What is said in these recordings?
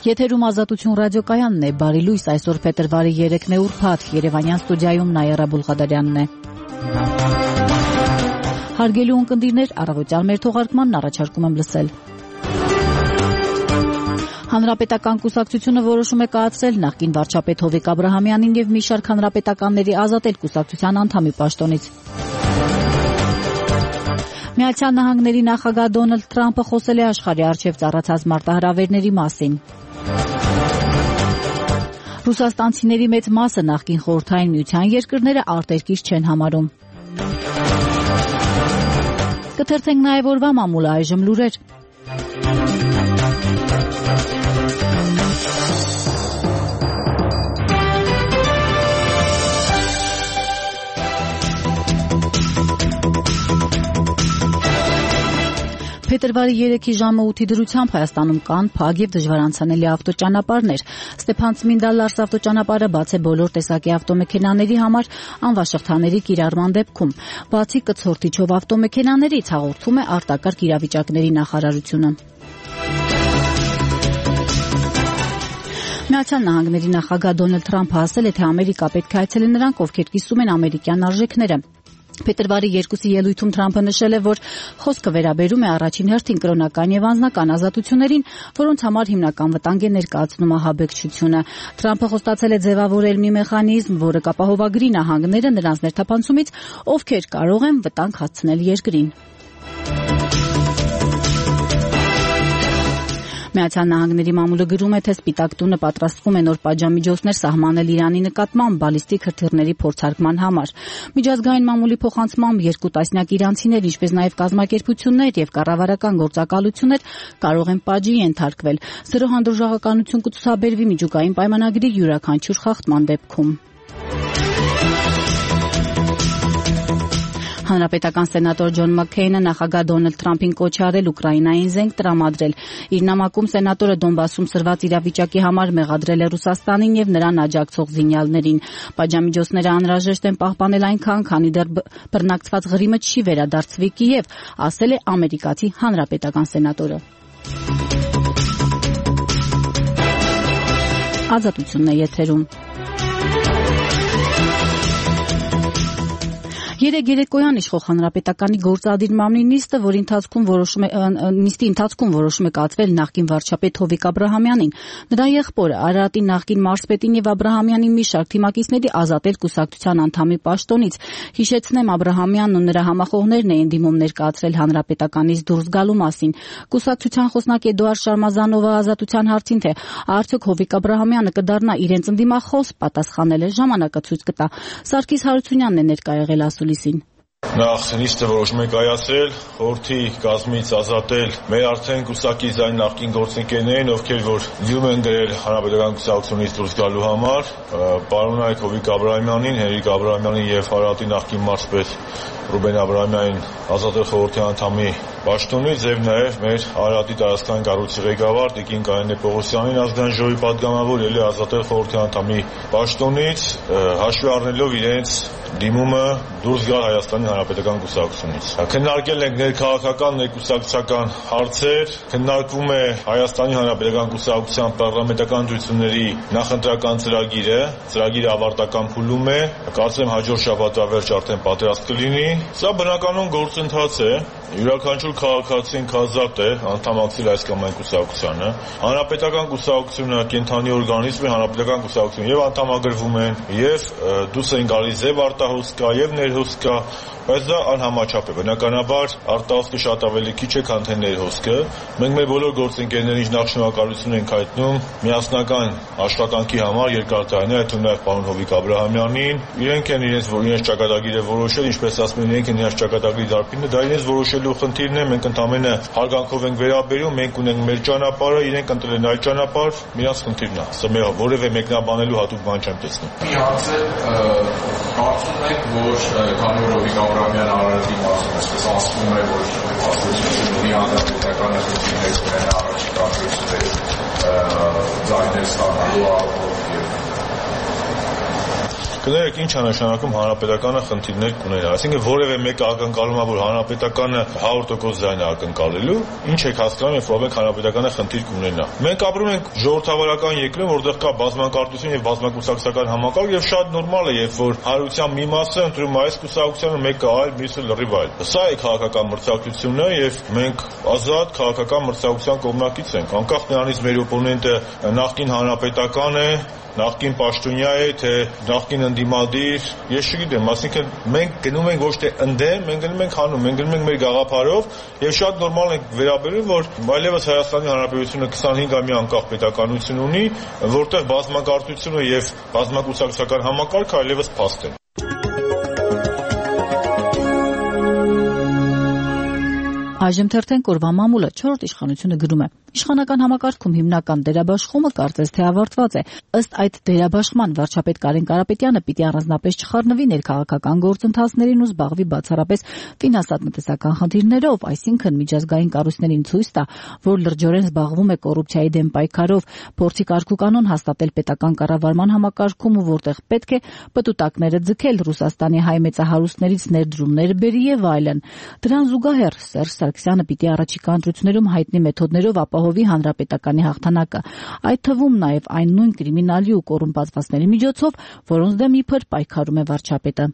Եթերում Ազատություն ռադիոկայանն է, բարի լույս, այսօր փետրվարի 3-ն է ուրբաթ, Երևանյան ստուդիայում Նայերա Բուլղադարյանն է։ Հարգելի ունկնդիրներ, առավոտյան մեր թողարկմանն առաջարկում եմ լսել։ Հանրապետական կուսակցությունը որոշում է կայացրել նախկին վարչապետ Հովիկ Աբրահամյանին եւ մի շարք հանրապետականների ազատել կուսակցության անդամի պաշտոնից։ Միացյալ Նահանգների նախագահ Դոնալդ Թրամփը խոսել է աշխարհի առջև ծառացած մարտահրավերների մասին։ Ռուսաստանցիների մեծ մասը նախկին խորհրդային միության երկրները արտերկիր չեն համարում։ Կթերթենք նաև օրվա մամուլը, այժմ լուրեր։ Փետրվարի 3-ի ժամը 8-ի դրությամբ Հայաստանում կան փակ եւ դժվար անցանելի ավտոճանապարհներ։ Ստեփան-Ծմինդա-Լարս ավտոճանապարհը բաց է բոլոր տեսակի ավտոմեքենաների համար անվաշղթաների կիրառման դեպքում։ Բացի կցորդիչով ավտոմեքենաներից, հաղորդում է արտակարգ իրավիճակների նախարարությունը։ Միացյալ Նահանգների նախագահ Դոնալդ Թրամփը ասել է, թե Ամերիկա պետք է այցելեն նրանք, ովքեր կիսում են ամերիկյան արժեքները։ Փետրվարի 2-ի ելույթում Թրամփը նշել է, որ խոսքը վերաբերում է առաջին հերթին կրոնական եւ անձնական ազատություններին, որոնց համար հիմնական վտանգ է ներկայացնում ահաբեկչությունը։ Թրամփը խոստացել է ձևավորել մի մեխանիզմ, որը կապահովագրի նահանգները նրանց ներթափանցումից, ովքեր կարող են վտանգ հասցնել երկրին։ Միացյալ Նահանգների մամուլը գրում է, թե Սպիտակ տունը պատրաստվում է նոր պատժամիջոցներ սահմանել Իրանի նկատմամբ բալիստիկ հրթիռների փորձարկման համար։ Միջազգային մամուլի փոխանցմամբ 2 տասնյակ իրանցիներ, ինչպես նաև կազմակերպություններ եւ կառավարական գործակալություններ կարող են պատժի ենթարկվել։ Սրո հանդուրժողականություն կցուցաբերվի միջուկային պայմանագրի յուրաքանչյուր խախտման դեպքում։ Հանրապետական սենատոր Ջոն Մաքքեյնը նախագահ Դոնալդ Թրամփին կոչ է արել Ուկրաինային զենք տրամադրել։ Իր նամակում սենատորը Դոնբասում սրված իրավիճակի համար մեղադրել է Ռուսաստանին եւ նրան աջակցող զինյալներին։ Պատժամիջոցները անհրաժեշտ են պահպանել այնքան, քանի դեռ բռնակցված Ղրիմը չի վերադարձվի Կիև, ասել է ամերիկացի հանրապետական սենատորը։ Ազատությունն է եթերում։ Երեկ երեկոյան իշխող հանրապետականի գործադիր մամլի նիստի ընթացքում որոշում է կայացվել նախկին վարչապետ Հովիկ Աբրահամյանին, նրա եղբորը Արարատի նախկին մարզպետին եւ Աբրահամյանի մի շարք թիմակիցների ազատել կուսակցության անդամի պաշտոնից։ Հիշեցնեմ, Աբրահամյանն ու նրա համախոհներն էին դիմում ներկայացրել հանրապետականից դուրս գալու մասին։ Կուսակցության խոսնակ Էդուարդ Շարմազանովը ազատության հարցին, թե արդյոք Հովիկ Աբրահամյանը կդառնա իրենց ընդդիմախոս, պատասխանել է, ժամանակը ցույց կտա։ Սարգիս Հարությունյանն է ներկա եղել ասուլիսին։ Նախ նիստը որոշում է կայացրել խորհրդի կազմից ազատել մեր արդեն կուսակից այն նախկին գործընկերներին, ովքեր որ դիմում են գրել հանրապետական կուսակցությունից դուրս գալու համար, պարոնայք Հովիկ Աբրահամյանին, Հենրիկ Աբրահամյանին եւ Արարատի նախկին մարզպետ Ռուբեն Աբրահամյանին ազատել խորհրդի անդամի պաշտոնից եւ նաեւ մեր Արարատի տարածքային կառույցի ղեկավար Տիկին Կարինե Պողոսյանին ազգային ժողովի պատգամավոր ելի ազատել խորհրդի անդամի պաշտոնից, հաշվի առնելով իրենց դիմումը դուրս գալ Հայաստանի Հանրապետական կուսակցությունից։ Քննարկել ենք ներքաղաքական, ներկուսակցական հարցեր, քննարկվում է Հայաստանի Հանրապետական կուսակցության պարլամենտական ընտրությունների նախընտրական ծրագիրը ավարտական փուլում է, կարծեմ հաջորդ շաբաթվա վերջ արդեն պատրաստ կլինի։ Սա բնականon գործընթաց է, յուրաքանչյուր քաղաքացին ազատ է անդամակցել այս կամ այն կուսակցությանը։ Հանրապետական կուսակցությունը կենթանի օրգանիզմ է, հանրապետական կուսակցությունը եւ անդամագրվում են, եւ դուրս են գալիս եւ արտահոսք կա եւ ներհոսք կա, բայց դա անհամաչափ է։ Բնականաբար արտահոսքը շատ ավելի քիչ է, քան թե ներհոսքը։ Մենք մեր բոլոր գործընկերներին նախ շնորհակալություն ենք հայտնում միասնական աշխատանքի համար երկար տարիներ, այդ թվում նաեւ պարոն Հովիկ Աբրահամյանին։ Իրենք են իրենց ճակատագիրը որոշել, ինչպես ասում են, իրենք են իրենց ճակատագրի դարբինը, դա իրենց որոշելու խնդիրն է, մենք ընդամենը հարգանքով ենք վերաբերում, մենք ունենք մեր ճանապարհը, իրենք ընտրել են այդ ճանապարհ, միած խնդիրն է։ Սա մեր որևէ մեկնաբանելու հատուկ բան չեմ տեսնում։ Կարծում եք, որ քանի որ Հովիկ Աբրահամյանը Արարատի մասում այսպես ասվում է, որ ասոցիացիոնի հանրապետական ընտրություններից ունենա առաջիկա ընտրությունների ձայներ ստանալու առումով եւ Կներեք ինչ է նշանակում հանրապետականը խնդիրներ կուներ, այսինքն որևէ մեկը ակնկալում է, որ հանրապետականը 100% ձայն է ակնկալելու, ինչ եք հասկանում, երբ որ մենք հանրապետականը խնդիր կունենա։ Մենք ապրում ենք ժողովրդավարական երկրում, որտեղ կա բազմակարծություն եւ բազմակուսակցական համակարգ եւ շատ նորմալ է, երբ որ հայության մի մասը ընտրում այս կուսակցությանը, մեկը այլ, մյուսը լրիվ այլ։ Սա է քաղաքական մրցակցությունը եւ մենք ազատ քաղաքական մրցակցության կողմնակից ենք, անկախ նրանից մեր օպոնենտը նախկին հանրապետական է, նախկին պաշտոնյա է, թե նախկին ընդդիմադիր, ես չգիտեմ, այսինքն մենք գնում ենք ոչ թե ընդդեմ, մենք գնում ենք հանում, մենք գնում ենք մեր գաղափարով եւ շատ նորմալ ենք վերաբերում, որ այլևս Հայաստանի Հանրապետությունը 25-ամյա անկախ պետականություն ունի, որտեղ բազմակարծությունը եւ բազմակուսակցական համակարգը այլևս փաստ են։ Այժմ թերթենք օրվա մամուլը 4-րդ իշխանությունը գրում է. Իշխանական համակարգում հիմնական դերաբաշխումը կարծես թե ավարտված է։ Ըստ այդ դերաբաշխման վարչապետ Կարեն Կարապետյանը պիտի առանձնապես չխառնվի ներքաղաքական գործընթացներին ու զբաղվի բացառապես ֆինանսատնտեսական խնդիրներով, այսինքն միջազգային կառույցներին ցույց տա, որ լրջորեն զբաղվում է կոռուպցիայի դեմ պայքարով, փորձի կարգուկանոն հաստատել պետական կառավարման համակարգում ու որտեղ պետք է պտուտակները ձգել, Ռուսաստանի հայ մեծահարուստներից ներդրումներ բերի եւ այլն։ Դրան զուգահեռ Սերժ Սարգսյանը պիտի առաջիկա ընտրություններում հայտնի մեթոդներով ապահովի հանրապետականի հաղթանակը, այդ թվում նաև այն նույն կրիմինալի ու կոռումպացվածների միջոցով, որոնց դեմ իբր պայքարում է վարչապետը։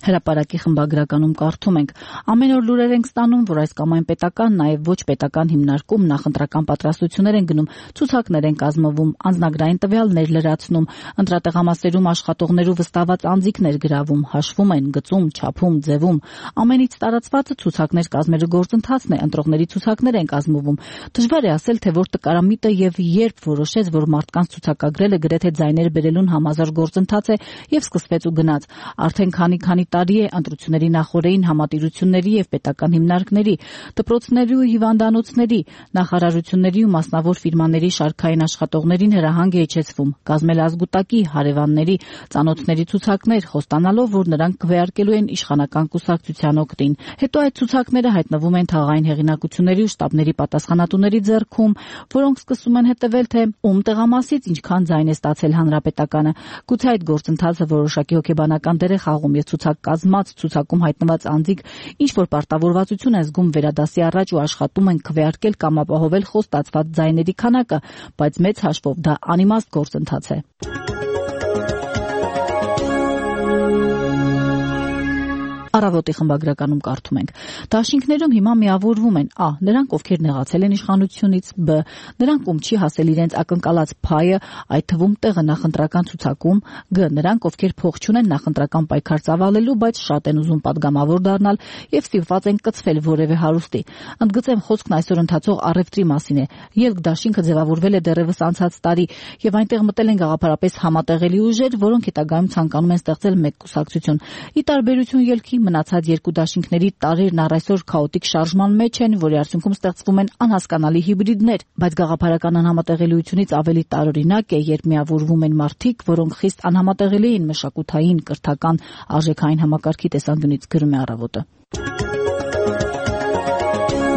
Հրապարակի խմբագրականում կարդում ենք. ամեն օր լուրեր ենք ստանում, որ այս կամ այն պետական, նաև ոչ պետական հիմնարկում նախընտրական պատրաստություններ են գնում, ցուցակներ են կազմվում, անձնագրային տվյալներ լրացնում, ընտրատեղամասերում աշխատողներու վստահված անձիկներ գրավում, հաշվում են, գծում, չափում, ձևում։ Ամենից տարածվածը ցուցակներ կազմելու գործընթացն է, ընտրողների ցուցակներ են կազմվում։ Դժվար է ասել, թե որ տկարամիտը եւ երբ որոշեց, որ մարդկանց ցուցակագրելը գրեթե ձայներ բերելուն համազոր գործընթաց է եւ սկսվեց ու գնաց։ Արդեն քանի տարի է ընտրությունների նախօրեին համատիրությունների եւ պետական հիմնարկների, դպրոցների ու հիվանդանոցների, նախարարությունների ու մասնավոր ֆիրմաների շարքային աշխատողներին հրահանգ է իջեցվում, կազմել ազգուտակի, հարևանների, ծանոթների ցուցակներ, խոստանալով, որ նրանք քվեարկելու են իշխանական կուսակցության օգտին։ Հետո այդ ցուցակները հայտնվում են թաղային հեղինակությունների ու շտաբների պատասխանատուների ձեռքում, որոնք սկսում են հետևել, թե ում տեղամասից ինչքան ձայն է ստացել հանրապետականը։ Գուցե այդ գործընթացը որոշակի հոգեբանական դեր է խաղում եւ ցուցակ կազմած, ցուցակում հայտնված անձիկ ինչ որ պարտավորվածություն են զգում վերադասի առաջ ու աշխատում են քվեարկել կամ ապահովել խոստացված ձայների քանակը, բայց մեծ հաշվով դա անիմաստ գործընթաց է։ Առավոտի խմբագրականում կարդում ենք. Դաշինքներում հիմա միավորվում են Ա. Նրանք, ովքեր նեղացել են իշխանությունից, Բ. Նրանք, ում չի հասել իրենց ակնկալած փայը, այդ թվում տեղը նախընտրական ցուցակում, Գ. Նրանք, ովքեր փող չունեն նախընտրական պայքար ծավալելու, բայց շատ են ուզում падգամավոր դառնալ եւ ստիպված են կծվել որևէ հարուստի։ Ընդգծեմ, խոսքն այսօր ընթացող առևտրի մասին է։ Ելք դաշինքը ձևավորվել է դեռևս անցած տարի եւ այնտեղ մտել են գաղափարապես համատեղելի ուժեր, որոնք հետագայում ցանկանում են ստեղծել մեկ կուսակցություն։ Ի տարբերություն ելքի մնացած երկու դաշինքների տարերն առ այսօր քաոտիկ շարժման մեջ են, որի արդյունքում ստեղծվում են անհասկանալի հիբրիդներ, բայց գաղափարական անհամատեղելիությունից ավելի տարօրինակ է, երբ միավորվում են մարդիկ, որոնք խիստ անհամատեղելի են մշակութային, կրթական, արժեքային համակարգի տեսանկյունից, գրում է Առավոտը։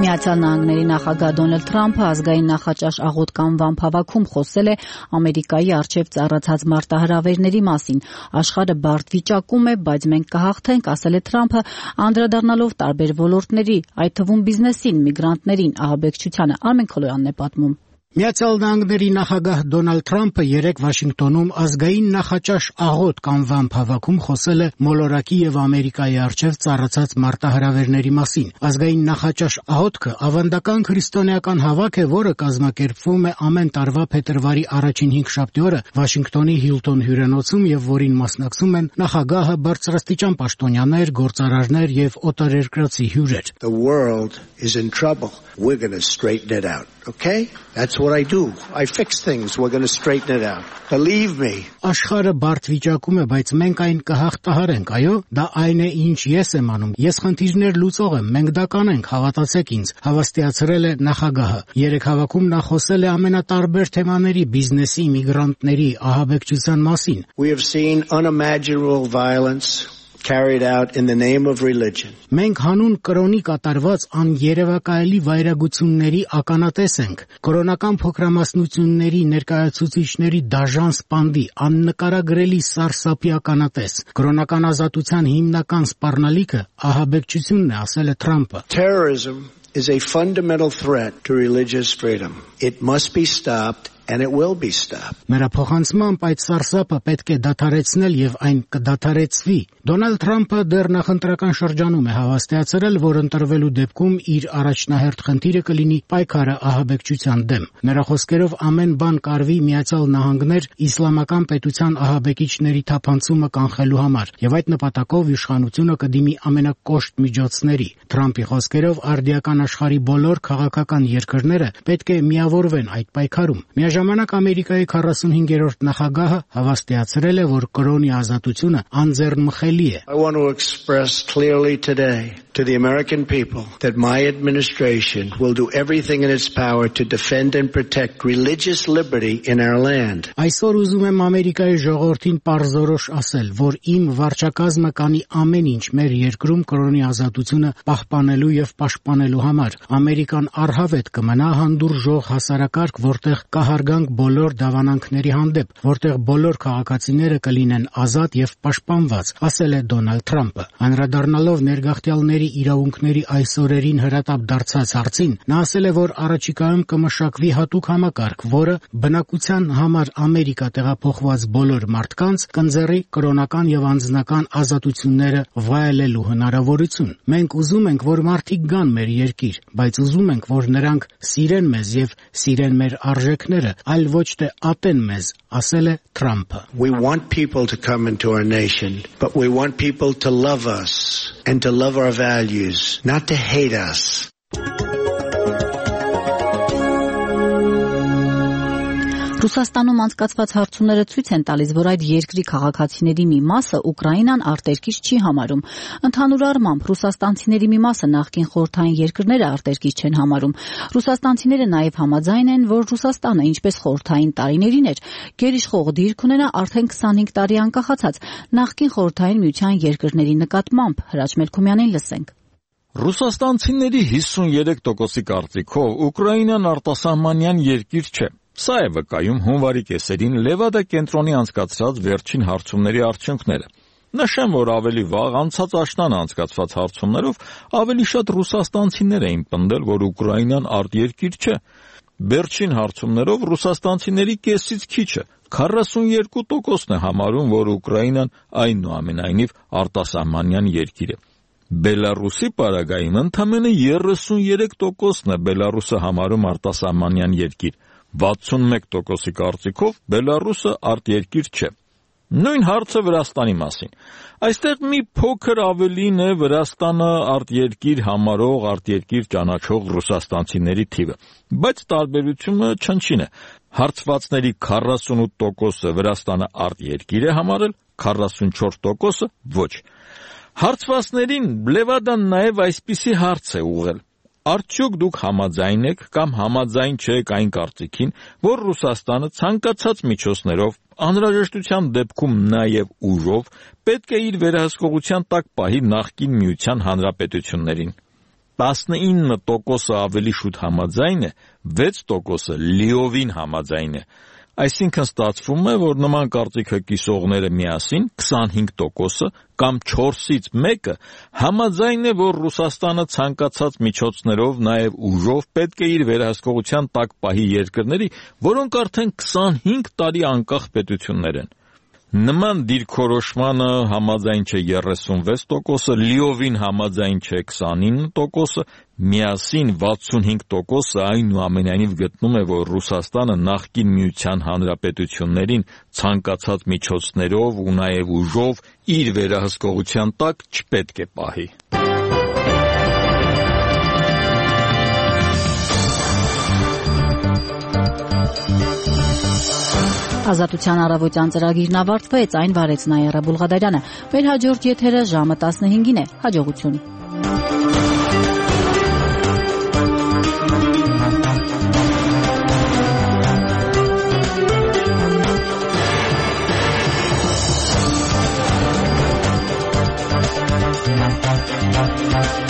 Միացյալ Նահանգների նախագահ Դոնալդ Թրամփը ազգային նախաճաշ աղոտ կանվան հավաքում խոսել է Ամերիկայի առջև ծառացած մարտահրավերների մասին։ Աշխարհը բարդ վիճակում է, բայց մենք կհաղթենք, ասել է Թրամփը, անդրադառնալով տարբեր ոլորտների, այդ թվում բիզնեսին, միգրանտներին, ահաբեկչությանը։ Արմեն Քոլոյանն է պատմում։ Միացյալ Նահանգների նախագահ Դոնալդ Թրամփը երեկ Վաշինգտոնում ազգային նախաճաշ աղոտ կանվան հավաքում խոսել է մոլորակի եւ Ամերիկայի առջև ծառացած մարտահրավերների մասին։ Ազգային նախաճաշ աղոտքը ավանդական քրիստոնեական հավաք է, որը կազմակերպվում է ամեն տարվա փետրվարի առաջին 5 շաբթի օրը Վաշինգտոնի Հիլտոն հյուրանոցում եւ որին մասնակցում են նախագահը, բարձրաստիճան պաշտոնյաներ, գործարարներ եւ օտարերկրացի հյուրեր։ The world is in trouble. We're going to straighten it out. Okay? That's what I do. I fix things. We're going to straighten it out. Believe me. Աշխարհը բարդ վիճակում է, բայց մենք այն կհաղթահարենք, այո, դա այն է, ինչ ես եմ անում։ Ես խնդիրներ լուծող եմ, մենք դա կանենք, հավատացեք ինձ, հավաստիացրել է նախագահը։ Երեք հավաքում նա խոսել է ամենատարբեր թեմաների, բիզնեսի, միգրանտների, ահաբեկչության մասին։ We have seen unimaginable violence carried out in the name of religion. Մենք հանուն կրոնի կատարված աներևակայելի վայրագությունների ականատես ենք։ Կրոնական փոքրամասնությունների ներկայացուցիչների դաժան սպանդի, աննկարագրելի սարսափի ականատես։ Կրոնական ազատության հիմնական սպառնալիքը ահաբեկչությունն է, ասել է Թրամփը։ Terrorism is a fundamental threat to religious freedom. It must be stopped. And it will be stopped. Նրա փոխանցմամբ այդ սարսափը պետք է դադարեցնել եւ այն կդադարեցվի։ Դոնալդ Թրամփը դեռ նախընտրական շրջանում է հավաստիացրել, որ ընտրվելու դեպքում իր առաջնահերթ խնդիրը կլինի պայքարը ահաբեկչության դեմ։ Նրա խոսքերով ամեն բան կարվի Միացյալ Նահանգներ իսլամական պետության ահաբեկիչների թափանցումը կանխելու համար եւ այդ նպատակով իշխանությունը կդիմի ամենակոշտ միջոցների։ Թրամփի խոսքերով արդիական աշխարհի բոլոր քաղաքական երկրները պետք է միավորվեն այդ պայքարում։ Ժամանակ Ամերիկայի 45-րդ նախագահը հավաստիացրել է, որ կրոնի ազատությունը անձեռնմխելի է։ I want to express clearly today to the American people that my administration will do everything in its power to defend and protect religious liberty in our land. Այսօր ուզում եմ Ամերիկայի ժողովրդին պարզորոշ ասել, որ իմ վարչակազմը կանի ամեն ինչ մեր երկրում կրոնի ազատությունը պահպանելու եւ պաշտպանելու համար։ Ամերիկան առհավետ կմնա հանդուրժող հասարակարգ, որտեղ կհարգանք բոլոր դավանանքների հանդեպ, որտեղ բոլոր քաղաքացիները կլինեն ազատ եւ պաշտպանված, ասել է Դոնալդ Թրամփը։ Անդրադառնալով ներգաղթյալների իրավունքների այսօրերին հրատապ դարձած հարցին, նա ասել է, որ առաջիկայում կմշակվի հատուկ համակարգ, որը բնակության համար Ամերիկա տեղափոխված բոլոր մարդկանց կընձեռի կրոնական եւ անձնական ազատությունները վայելելու հնարավորություն։ Մենք ուզում ենք, որ մարդիկ գան մեր երկիր, բայց ուզում ենք, որ նրանք սիրեն մեզ եւ սիրեն մեր արժեքները, այլ ոչ թե ատեն մեզ, ասել է Թրամփը։ We want people to come into our nation, but we want people to love us and to love our values, not to hate us. Ռուսաստանում անցկացված հարցումները ցույց են տալիս, որ այդ երկրի քաղաքացիների մի մասը Ուկրաինան արտերկիր չի համարում։ Ընդհանուր առմամբ ռուսաստանցիների մի մասը նախկին խորհրդային երկրները արտերկիր չեն համարում։ Ռուսաստանցիները նաև համաձայն են, որ Ռուսաստանը, ինչպես խորհրդային տարիներին էր, գերիշխող դիրք ունենա արդեն 25 տարի անկախացած նախկին խորհրդային միության երկրների նկատմամբ։ Հրաչ Մելքումյանին լսենք։ Ռուսաստանցիների 53%-ի կարծիքով Ուկրաինան արտասահմանյան երկիր չէ։ Սա է վկայում հունվարի կեսերին Լևադա կենտրոնի անցկացրած վերջին հարցումների արդյունքները։ Նշեմ, որ ավելի վաղ անցած աշնանը անցկացված հարցումներով ավելի շատ ռուսաստանցիներ էին պնդել, որ Ուկրաինան արտերկիր չէ։ Վերջին հարցումներով ռուսաստանցիների կեսից քիչը 42%-ն է համարում, որ Ուկրաինան այնուամենայնիվ արտասահմանյան երկիր է։ Բելարուսի պարագայում ընդամենը 33%-ն է Բելարուսը համարում արտասահմանյան երկիր։ 61%-ի կարծիքով Բելարուսը արտերկիր չէ։ Նույն հարցը Վրաստանի մասին։ Այստեղ մի փոքր ավելին է Վրաստանը արտերկիր համարող, արտերկիր ճանաչող ռուսաստանցիների թիվը, բայց տարբերությունը չնչին է։ Հարցվածների 48%-ը Վրաստանը արտերկիր է համարել, 44%-ը ոչ։ Հարցվածներին Լևադան նաև այսպիսի հարց է ուղղել. Արդյոք դուք համաձայն եք կամ համաձայն չեք այն կարծիքին, որ Ռուսաստանը ցանկացած միջոցներով, անհրաժեշտության դեպքում նաև ուժով, պետք է իր վերահսկողության տակ պահի նախկին միության հանրապետություններին։ 19%-ը ավելի շուտ համաձայն է, 6%-ը լիովին համաձայն է։ Այսինքն ստացվում է, որ նման կարծիքը կիսողները միասին 25%-ը կամ 4-ից 1-ը համաձայն է, որ Ռուսաստանը ցանկացած միջոցներով, նաև ուժով պետք է իր վերահսկողության տակ պահի երկրների, որոնք արդեն 25 տարի անկախ պետություններ են։ Նման դիրքորոշմանը համաձայն չէ 36%-ը, լիովին համաձայն չէ 29%-ը, միասին 65%-ը այնուամենայնիվ գտնում է, որ Ռուսաստանը նախկին միության հանրապետություններին ցանկացած միջոցներով ու նաև ուժով իր վերահսկողության տակ չպետք է պահի։ Ազատության առավոտյան ծրագիրն ավարտվեց, այն վարեց Նայիրա Բուլղադարյանը։ Մեր հաջորդ եթերը ժամը 15-ին է։ Հաջողություն։ Thank you.